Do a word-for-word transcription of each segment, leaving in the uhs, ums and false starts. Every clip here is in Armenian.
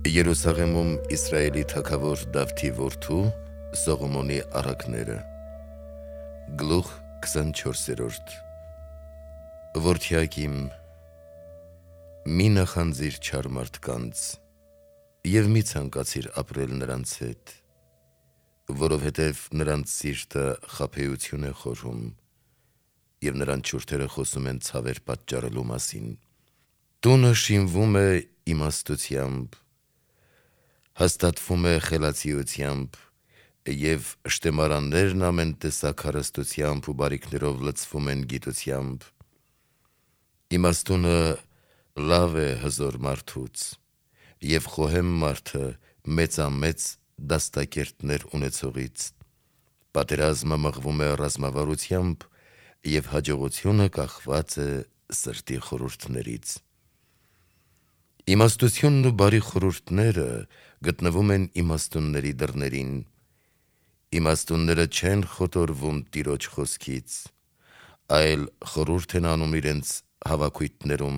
Երուսաղեմում Իսրայելի թագավոր Դավթի որդու Սողոմոնի առակները Գլուխ քսանչորսերորդ Որդյակ իմ, մի նախանձիր չար մարդկանց և մի ցանկացիր ապրել նրանց հետ, որովհետև նրանց սիրտը խաբեություն է խորհում և նրանց շուրթերը խոսում են ցավեր պատճառելու մասին։ Տունը շինվում է իմաստությամբ, հաստատվում է խելացիությամբ և շտեմարաններն ամեն տեսակ հարստությամբ ու բարիքներով լցվում են գիտությամբ։ Իմաստունը լավ է հզոր մարդուց, և խոհեմ մարդը մեծամեծ դաստակերտներ ունեցողից։ Պատերազմը մղվում է ռազմավարությամբ, և հաջողությունը կախված է սրտի խորհուրդներից։ Իմաստությունն ու բարի խորհուրդները գտնվում են իմաստունների դռներին։ Իմաստունները չեն խոտորվում Տիրոջ խոսքից, այլ խորհուրդ են անում իրենց հավաքույթներում։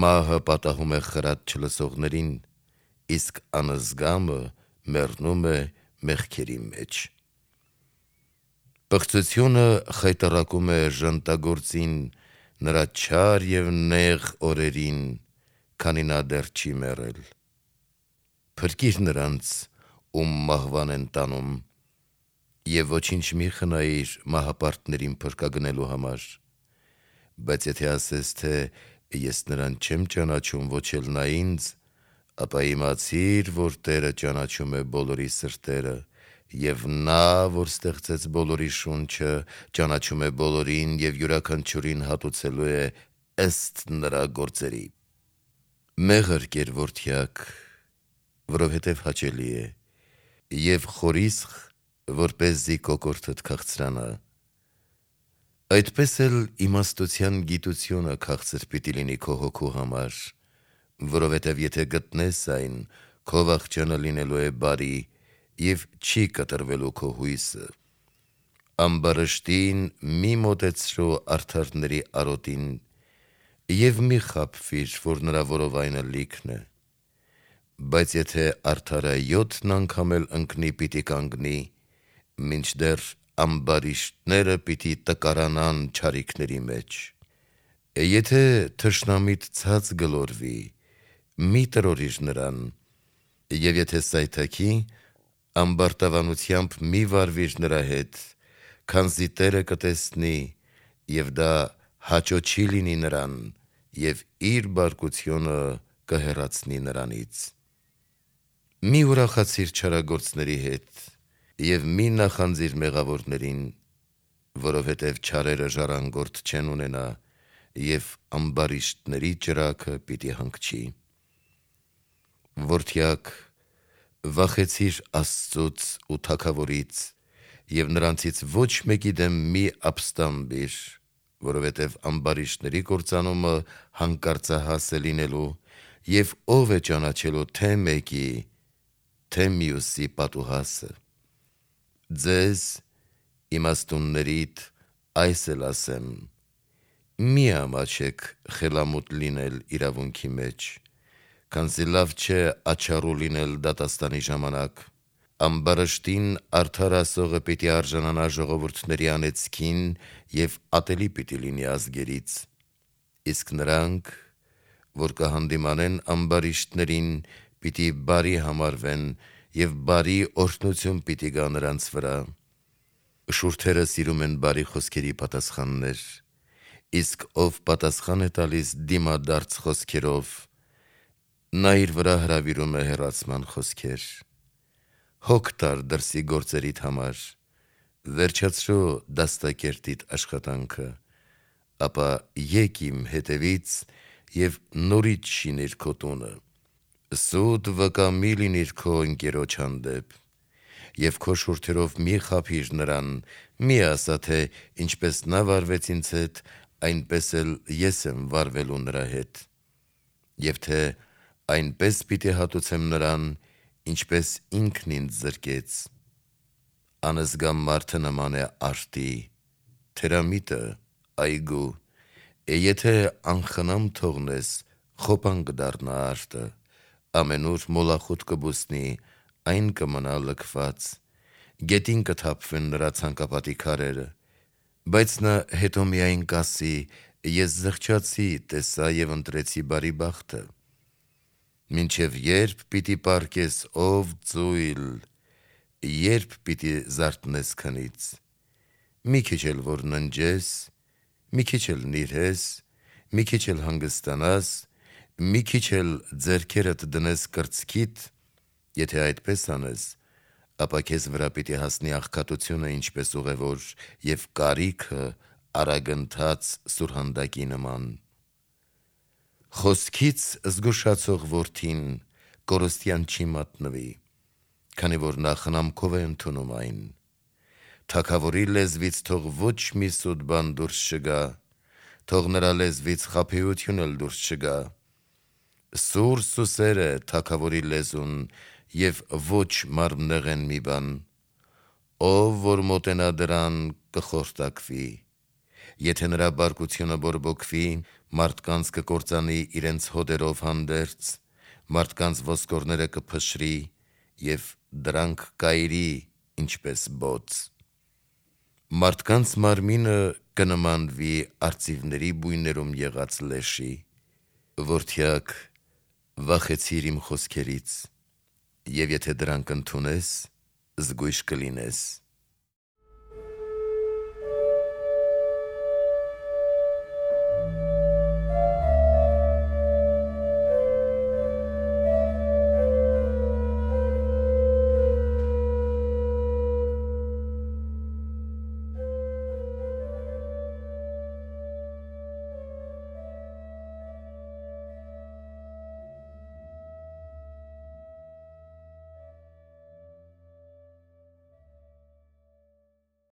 Մահը պատահում է խրատ չլսողներին, իսկ անզգամը մեռնում է մեղքերի մեջ։ Պղծությունը խայտառակում է ժանտագործին նրա չար և նեղ օրերին, քանի նա դեռ չի մեռել։ Փրկիր նրանց, ում մահվան են տանում, և ոչինչ մի խնայիր մահապարտներին փրկագնելու համար։ Բայց եթե ասես, թե ես նրան չեմ ճանաչում, ոչ էլ նա ինձ, ապա իմացիր, որ Տերը ճանաչում է բոլորի սրտերը, և նա, որ ստեղծեց բոլորի շունչը, ճանաչում է բոլորին և յուրաքանչյուրին հատուցելու է ըստ նրա գործերի։ Մեղր կեր, որդյակ, որովհետև հաճելի է, և խորիսխ, որպեսզի կոկորդդ քաղցրանա։ Այդպես էլ իմաստության գիտությունը քաղցր պիտի լինի քո հոգու համար, որովհետև եթե գտնես այն, քո վախճանը լինելու է բարի և չի կտրվելու քո հույսը։ Ամբարշտին մի մոտեցրու արդարների արոտին և մի խաբվիր, որ նրա որովայնը լիքն է։ Բայց եթե արդարը յոթն անգամ էլ ընկնի, պիտի կանգնի, մինչդեռ ամբարիշտները պիտի տկարանան չարիքների մեջ։ Եթե թշնամիդ ցած գլորվի, մի տրորիր նրան, և եթե սայթաքի, ամբարտավանությամբ մի վարվիր նրա հետ, քանզի Տերը կտեսնի, և դա հաճո չի լինի նրան, և իր բարկությունը կհեռացնի նրանից։ Մի ուրախացիր չարագործների հետ, և մի նախանձիր մեղավորներին, որովհետև չարերը ժառանգորդ չեն ունենա, և ամբարիշտների ճրագը պիտի հանգչի։ Որդյակ, վախեցիր Աստծուց ու թագավորից, և նրանցից ոչ մեկի դեմ մի ապստամբիր, որովհետև ամբարիշտների կործանումը հանկարծահաս է լինելու, և ո՞վ է ճանաչելու թե մեկի, թե մյուսի պատուհասը։ Ձեզ, իմաստուններիդ, այս էլ ասեմ. մի ամաչեք խելամուտ լինել իրավունքի մեջ, քանզի լավ չէ աչառու լինել դատաստանի ժամանակ։ Ամբարշտին արդար ասողը պիտի արժանանա ժողովուրդների անեծքին և ատելի պիտի լինի ազգերից։ Իսկ նրանք, որ կհանդիմանեն ամբարիշտներին, պիտի բարի համարվեն, և բարի օրհնություն պիտի գա նրանց վրա։ Շուրթերը սիրում են բարի խոսքերի պատասխաններ, իսկ ով պատասխան է տալիս դիմադարձ խոսքերով, նա իր վրա հրավիրում է հեռացման խոսքեր։ Հոգ տար դրսի գործերիդ համար, վերջացրու դաստակերտիդ աշխատանքը, ապա եկ իմ հետևից և նորից շինիր քո տունը։ Սուտ վկա մի լինիր քո ընկերոջ հանդեպ, և քո շուրթերով մի խաբիր նրան, մի ասա, թե ինչպես նա վարվեց ինձ հետ, այնպես էլ ես եմ վարվելու նրա հետ, և թե այնպես պիտի հատուցեմ նրան, ինչպես ինքն ինձ զրկեց։ Անզգամ մարդը նման է արտի, թերամիտը՝ այգու, եթե անխնամ թողնես, խոպան կդառնա արտը, ամենուր մոլախուտ կբուսնի, այն կմնա լքված, գետին կթափվեն նրա ցանկապատի քարերը, բայց նա հետո միայն կասի. ես զղջացի, տեսա եւ ընտրեցի բարի բախտը։ Մինչև երբ պիտի պառկես, ով ծույլ, երբ պիտի զարթնես քնից, մի քիչ էլ որ ննջես, մի քիչ էլ նիրհես, մի քիչ էլ հանգստանաս, մի քիչ էլ ձեռքերդ դնես կրծքիդ, եթե այդպես անես, ապա քեզ վրա պիտի հասնի աղքատությունը ինչպես ուղևոր եւ կարիքը արագընթաց սուրհանդակի նման։ Խոսքից զգուշացող որդին կորստյան չի մատնվի, քանի որ նա խնամքով է ընդունում այն։ Թագավորի լեզվից թող ոչ մի սուտ բան դուրս չգա, թող նրա լեզվից խաբեություն էլ դուրս չգա։ Սուր սուսեր է թագավորի լեզուն եւ ոչ մարմնեղեն մի բան, ով որ մոտենա դրան կխորտակվի, եթե նրա բարկությունը բորբոքվի, մարդկանց կկործանի իրենց հոդերով հանդերձ, մարդկանց ոսկորները կփշրի եւ դրանք կայրի ինչպես բոց։ Մարդկանց մարմինը կնմանվի արծիվների բույներում եղած լեշի։ Որդյակ, վախեցիր իմ խոսքերից, եւ եթե դրանք ընդունես, զգույշ կլինես։